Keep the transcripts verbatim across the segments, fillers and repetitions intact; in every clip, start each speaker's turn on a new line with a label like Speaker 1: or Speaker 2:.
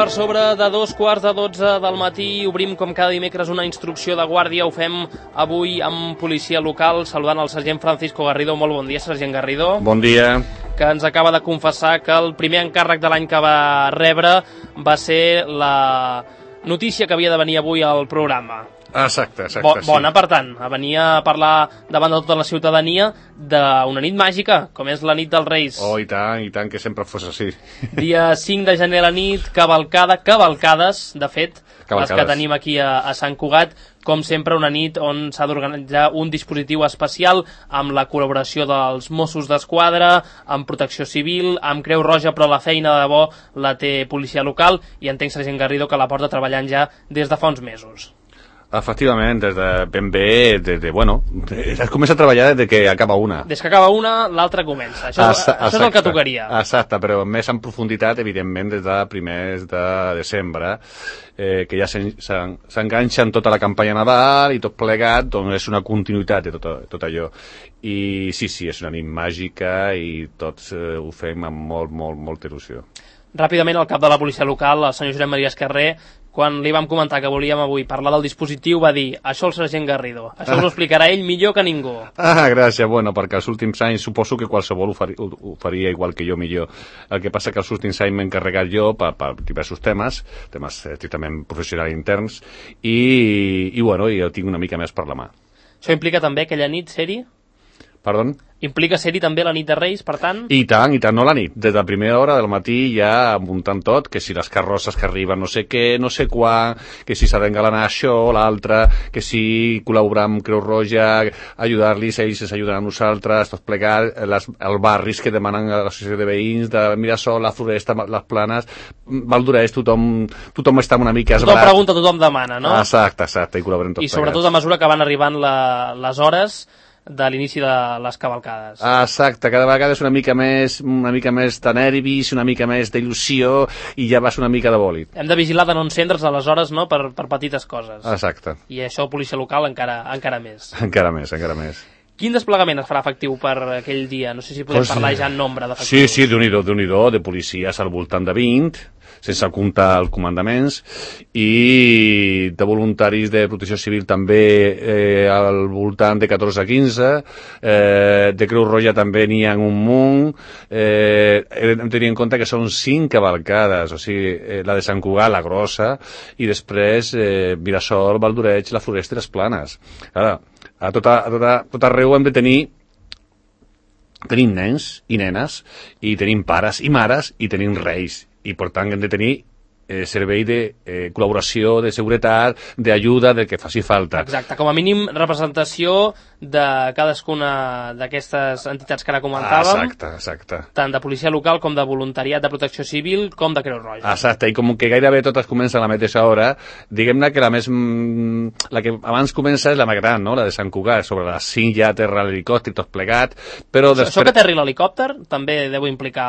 Speaker 1: per sobre de dos quarts de dotze del matí. Obrim com cada dimecres una instrucció de guàrdia. Ho fem avui amb policia local, saludant el sergent Francisco Garrido. Molt bon dia, sergent Garrido.
Speaker 2: Bon dia.
Speaker 1: Que ens acaba de confessar que el primer encàrrec de l'any que va rebre va ser la notícia que havia de venir avui al programa.
Speaker 2: Exacte, exacte.
Speaker 1: Bo, bona, sí. Per tant, a venir a parlar davant de tota la ciutadania d'una nit màgica, com és la nit dels Reis.
Speaker 2: Oh, i tant, i tant, que sempre fos així.
Speaker 1: Dia cinc de gener a la nit, cavalcada, cavalcades, de fet, cavalcades. Les que tenim aquí a, a Sant Cugat, com sempre una nit on s'ha d'organitzar un dispositiu especial amb la col·laboració dels Mossos d'Esquadra, amb Protecció Civil, amb Creu Roja, però la feina de debò la té policia local i entenc, sergent Garrido, que la porta treballant ja des de fa uns mesos.
Speaker 2: Efectivament, des de ben bé, des de, bueno, es comença a treballar des que acaba una.
Speaker 1: Des que acaba una, l'altra comença. Això, Asa, això és el que tocaria.
Speaker 2: Exacte, però més en profunditat, evidentment, des de primers de desembre, eh, que ja s'enganxa en tota la campanya Nadal i tot plegat, doncs és una continuïtat de tot, tot allò. I sí, sí, és una nit màgica i tots eh, ho fem amb molt, molt, molta il·lusió.
Speaker 1: Ràpidament, el cap de la policia local, el senyor Josep Maria Esquerrer, quan li vam comentar que volíem avui parlar del dispositiu, va dir, això el sergent Garrido, això us ho explicarà ell millor que ningú.
Speaker 2: Ah, gràcies, bueno, perquè els últims anys suposo que qualsevol ho faria, ho faria igual que jo millor. El que passa que els últims anys m'he encarregat jo per, per diversos temes, temes estrictament professionals interns, i, i bueno, jo tinc una mica més per la mà.
Speaker 1: Això implica també aquella nit, ser-hi?
Speaker 2: Perdó?
Speaker 1: Implica ser-hi també la nit de Reis, per tant?
Speaker 2: I tant, i tant, no la nit. Des de la primera hora del matí ja muntant tot, que si les carrosses que arriben no sé què, no sé quan, que si s'ha d'engalanar això, l'altre, que si col·laborar amb Creu Roja, ajudar-los, ells ens ajuden a nosaltres, tot plegar, les, els barris que demanen a l'associació de veïns, de Mirasol, la Floresta, les Planes, Valdoreix, tothom, tothom està una mica esbrat.
Speaker 1: Tothom pregunta, tothom demana, no?
Speaker 2: Exacte, exacte, i col·laborem tot
Speaker 1: I sobretot plegats. A mesura que van arribant la, les hores de l'inici de les cavalcades.
Speaker 2: Exacte, cada vegada és una mica més una mica més de nervis, una mica més d'il·lusió i ja vas una mica de bòlit.
Speaker 1: Hem de vigilar de no encendre's aleshores, no?, per, per petites coses.
Speaker 2: Exacte.
Speaker 1: I això, policia local, encara, encara més.
Speaker 2: Encara més, encara més.
Speaker 1: Quin desplegament es farà efectiu per aquell dia? No sé si podem pues, parlar ja en nombre
Speaker 2: Sí,
Speaker 1: d'efectius.
Speaker 2: sí, Déu-n'hi-do, Déu-n'hi-do, de policies al voltant de vint, sense comptar els comandaments, i de voluntaris de protecció civil també eh, al voltant de catorze a quinze, eh, de Creu Roja també n'hi ha un munt, eh, hem de tenir en compte que són cinc cavalcades, o sigui, eh, la de Sant Cugat, la grossa, i després eh, Mirasol, Valdoreix, la Floresta i les Planes. Ara, a tot, a, tot, a, tot arreu hem de tenir tenim nens i nenes, i tenim pares i mares, i tenim reis, i per tant hem de tenir eh, servei de eh, col·laboració, de seguretat, d'ajuda, del que faci falta.
Speaker 1: Exacte, com a mínim representació de cadascuna d'aquestes entitats que ara comentàvem.
Speaker 2: Exacte, exacte.
Speaker 1: Tant de policia local com de voluntariat de protecció civil com de Creu Roja.
Speaker 2: Exacte, i com que gairebé totes comencen a la mateixa hora, diguem-ne que la més la que abans comença és la més gran, no?, la de Sant Cugat, sobre les cinc ja aterra l'helicòpter, tot plegat, però
Speaker 1: això,
Speaker 2: després...
Speaker 1: Això que aterri l'helicòpter també deu implicar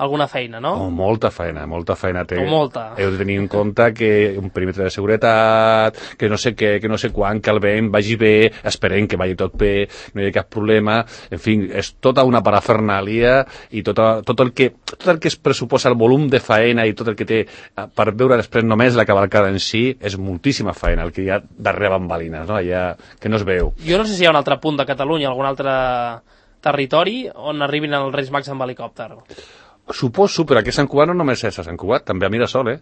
Speaker 1: alguna feina, no?
Speaker 2: Oh, molta feina, molta feina té.
Speaker 1: O molta.
Speaker 2: Heu de tenir en compte que un perímetre de seguretat, que no sé què, que no sé quan, que el vent vagi bé, esperem que vagi tot bé, no hi ha cap problema, en fi, és tota una parafernàlia i tot, tot, el que, tot el que es pressuposa el volum de faena i tot el que té per veure després només la cavalcada en si és moltíssima faena, el que hi ha darrere bambalines, no? Allà, que no es veu.
Speaker 1: Jo no sé si hi ha un altre punt de Catalunya, algun altre territori on arribin els Reis Mags amb helicòpter.
Speaker 2: Suposo, però aquí a Sant Cugat no només és a Sant Cugat, també a Mirasol, eh?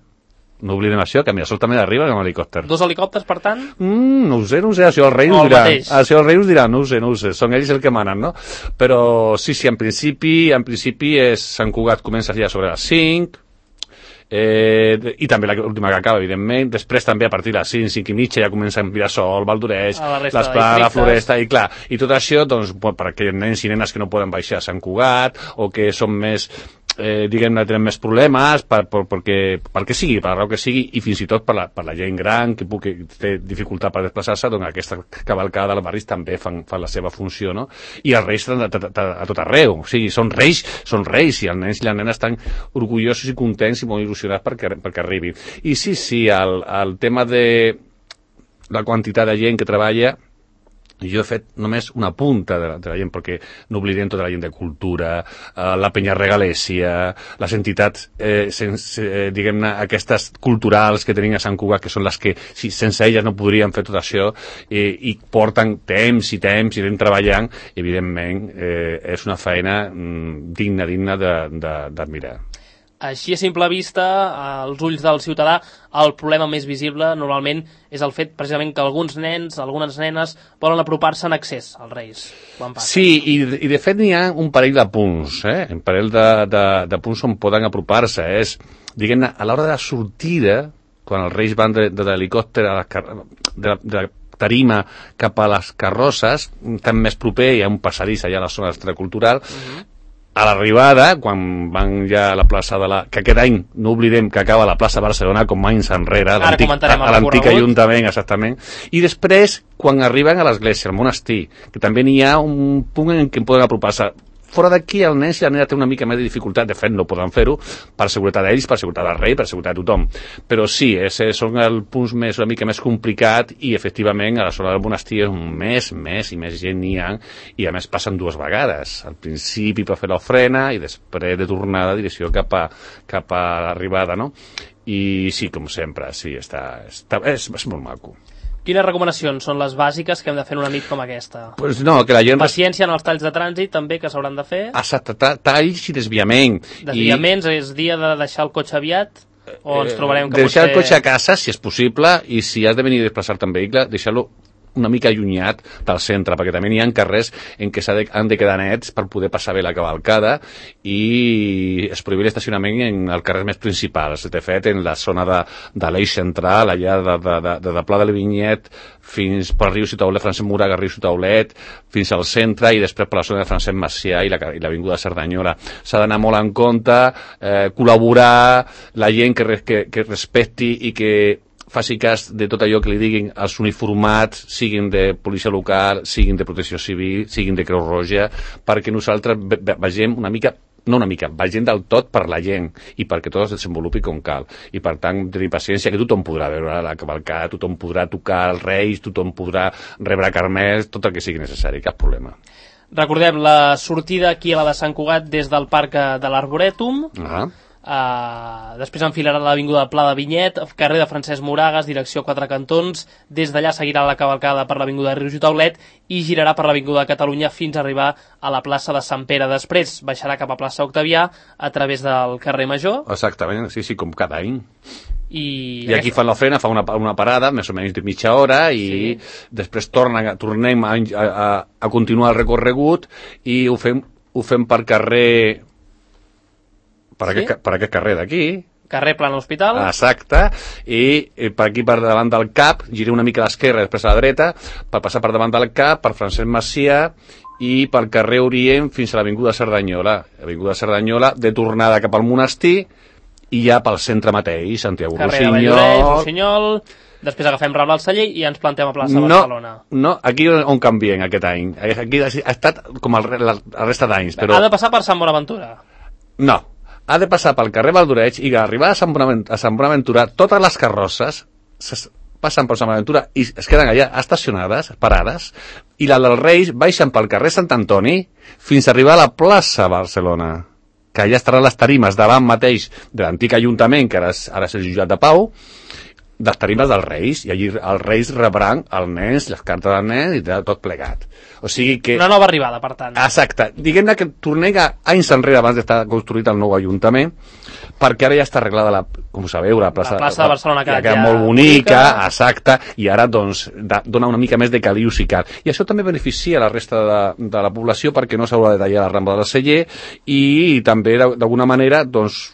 Speaker 2: No oblidem això, que a Mirasol també arriba amb helicòpter.
Speaker 1: Dos helicòpters, per tant?
Speaker 2: Mm, no ho sé, no ho sé, això els reis ho diran. Això els reis ho diran, no ho sé, no ho sé, són ells el que manen, no? Però sí, sí, en principi, en principi és Sant Cugat comença ja sobre les cinc, eh, i també l'última que acaba, evidentment, després també a partir de les cinc, cinc i mitja ja comença en Mirasol, Valdoreix, les Planes, la Floresta, i clar, i tot això, doncs, per aquells nens i nenes que no poden baixar a Sant Cugat, o que són més... Eh, diguem-ne, tenen més problemes per, per, perquè, pel que sigui, per la raó que sigui, i fins i tot per la, per la gent gran que, que té dificultat per desplaçar-se, doncs aquesta cavalcada dels barris també fan, fan la seva funció, no? I els reis estan a, a, a tot arreu, o sigui, són reis, són reis, i els nens i les nenes estan orgullosos i contents i molt il·lusionats perquè, perquè arribin. I sí, sí, el, el tema de la quantitat de gent que treballa jo he fet només una punta de la, de la gent, perquè no oblidem tota la gent de cultura, eh, la penya regalèsia, les entitats, eh, sense, eh, diguem-ne, aquestes culturals que tenim a Sant Cugat, que són les que, si, sense elles no podríem fer tot això, eh, i porten temps i temps i anem treballant, i evidentment eh, és una feina mm, digna, digna d'admirar.
Speaker 1: Així a simple vista, als ulls del ciutadà, el problema més visible normalment és el fet precisament que alguns nens, algunes nenes, volen apropar-se en accés als Reis.
Speaker 2: Sí, i, i de fet n'hi ha un parell de punts, eh? un parell de, de, de punts on poden apropar-se. És, diguem-ne, a l'hora de la sortida, quan els Reis van de, de l'helicòpter a la, de, de la tarima cap a les carrosses, tan més proper, hi ha un passadís allà a la zona extracultural, uh-huh. A l'arribada, quan van ja a la plaça de la... que aquest any, no oblidem que acaba la plaça Barcelona com anys enrere, a l'antic Ajuntament, exactament, i després, quan arriben a l'església, al monestir, que també n'hi ha un punt en què poden apropar-se. Fora d'aquí, el nen i la nena té una mica més de dificultat, de fet no poden fer-ho, per seguretat d'ells, per seguretat del rei, per seguretat de tothom. Però sí, és, són els punts més, una mica més complicat, i efectivament a la zona del monestir és més, més i més gent n'hi ha, i a més passen dues vegades. Al principi per fer l'ofrena i després de tornada direcció cap a, cap a l'arribada, no? I sí, com sempre, sí, està, està, és, és molt maco.
Speaker 1: Quines recomanacions són les bàsiques que hem de fer en una nit com aquesta?
Speaker 2: Pues no, que la gent...
Speaker 1: Paciència en els talls de trànsit, també, que s'hauran de fer.
Speaker 2: Exacte, talls i desviament.
Speaker 1: Desviaments, I... és dia de deixar el cotxe aviat? O ens trobarem que
Speaker 2: deixar
Speaker 1: potser...
Speaker 2: el cotxe a casa, si és possible, i si has de venir a desplaçar-te en vehicle, deixar-lo una mica allunyat del centre, perquè també hi ha carrers en què de, han de quedar nets per poder passar bé la cavalcada, i es prohibir l'estacionament en els carrers més principals. De fet, en la zona de, de l'eix central, allà de, de, de, de, de Pla de Vinyet fins per Riu Ciutaulet, Francesc Moraga, Riu Ciutaulet, fins al centre, i després per la zona de Francesc Macià i l'avinguda la, Cerdanyola. S'ha d'anar molt en compte, eh, col·laborar, la gent que, que, que respecti i que faci cas de tot allò que li diguin els uniformats, siguin de policia local, siguin de protecció civil, siguin de Creu Roja, perquè nosaltres vegem una mica, no una mica, vegem del tot per la gent i perquè tot es desenvolupi com cal. I per tant, tenir paciència, que tothom podrà veure la cavalcada, tothom podrà tocar els Reis, tothom podrà rebre carmels, tot el que sigui necessari, cap problema.
Speaker 1: Recordem la sortida aquí a la de Sant Cugat des del Parc de l'Arborètum. Ah. Uh, després enfilarà l'avinguda Pla de Vinyet, carrer de Francesc Moragas, direcció Quatre Cantons. Des d'allà seguirà la cavalcada per l'avinguda de Riu Ciutaulet i girarà per l'avinguda de Catalunya fins a arribar a la plaça de Sant Pere. Després baixarà cap a plaça Octavià a través del carrer Major.
Speaker 2: Exactament, sí, sí, com cada any.
Speaker 1: I,
Speaker 2: I aquí fan l'ofrena, fa una, una parada més o menys de mitja hora, i sí. Després tornen, tornem a, a, a continuar el recorregut, i ho fem, ho fem per carrer... Per, sí? aquest, per aquest carrer d'aquí.
Speaker 1: Carrer Plan Hospital.
Speaker 2: Exacte. I, i per aquí, per davant del Cap, giré una mica a l'esquerra, després a la dreta, per passar per davant del Cap, per Francesc Macià, i pel carrer Orient fins a l'avinguda Cerdanyola. L'avinguda Cerdanyola, de tornada cap al monestir, i ja pel centre mateix, Santiago Rossinyol.
Speaker 1: Carrer de Rossinyol. Després agafem Rambla al Celler i ja ens plantem a plaça
Speaker 2: no,
Speaker 1: Barcelona.
Speaker 2: No, aquí on canviem aquest any. Aquí ha estat com el, la, la resta d'anys. Però...
Speaker 1: Ha de passar per Sant Bonaventura.
Speaker 2: No. Ha de passar pel carrer Valdoreig, i arribar a Sant Bonaventura, a Sant Bonaventura, totes les carrosses passen per Sant Bonaventura i es queden allà estacionades, parades, i la dels Reis baixen pel carrer Sant Antoni fins a arribar a la plaça Barcelona, que allà estaran les tarimes davant mateix de l'antic Ajuntament, que ara és, ara és el jutjat de Pau, de les tarimes dels Reis, i allí els Reis rebran els nens, les cartes dels nens i tot plegat. O sigui que...
Speaker 1: Una nova arribada, per tant.
Speaker 2: Exacte. Diguem-ne que tornem a anys enrere abans d'estar construït el nou Ajuntament, perquè ara ja està arreglada, la, com sabeu, la plaça,
Speaker 1: la plaça de Barcelona, que
Speaker 2: ha quedat molt bonica, exacte, i ara doncs da, dona una mica més de caliu si cal. I això també beneficia la resta de, de la població, perquè no s'haurà de tallar la Rambla del Celler, i també d'alguna manera doncs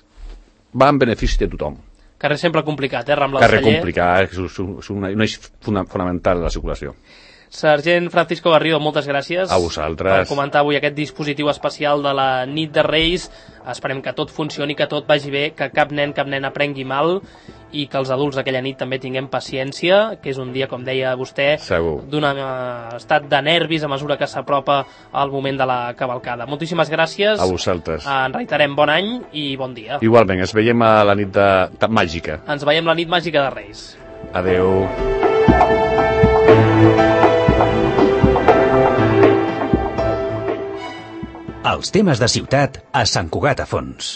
Speaker 2: va en benefici de tothom.
Speaker 1: Carrer sempre complicat, eh, Rambla del Celler.
Speaker 2: Carrer complicat, és un, un eix fonamental de la circulació.
Speaker 1: Sergent Francisco Garrido, moltes gràcies
Speaker 2: a vosaltres
Speaker 1: per comentar avui aquest dispositiu especial de la nit de Reis. Esperem que tot funcioni, que tot vagi bé, que cap nen, cap nena prengui mal, i que els adults d'aquella nit també tinguem paciència, que és un dia, com deia vostè, d'un estat de nervis a mesura que s'apropa al moment de la cavalcada. Moltíssimes gràcies.
Speaker 2: A vosaltres.
Speaker 1: En reiterem bon any i bon dia.
Speaker 2: Igualment, ens veiem a la nit de, de màgica.
Speaker 1: Ens veiem la nit màgica de Reis.
Speaker 2: Adeu.
Speaker 3: Els temes de ciutat a Sant Cugat a Fons.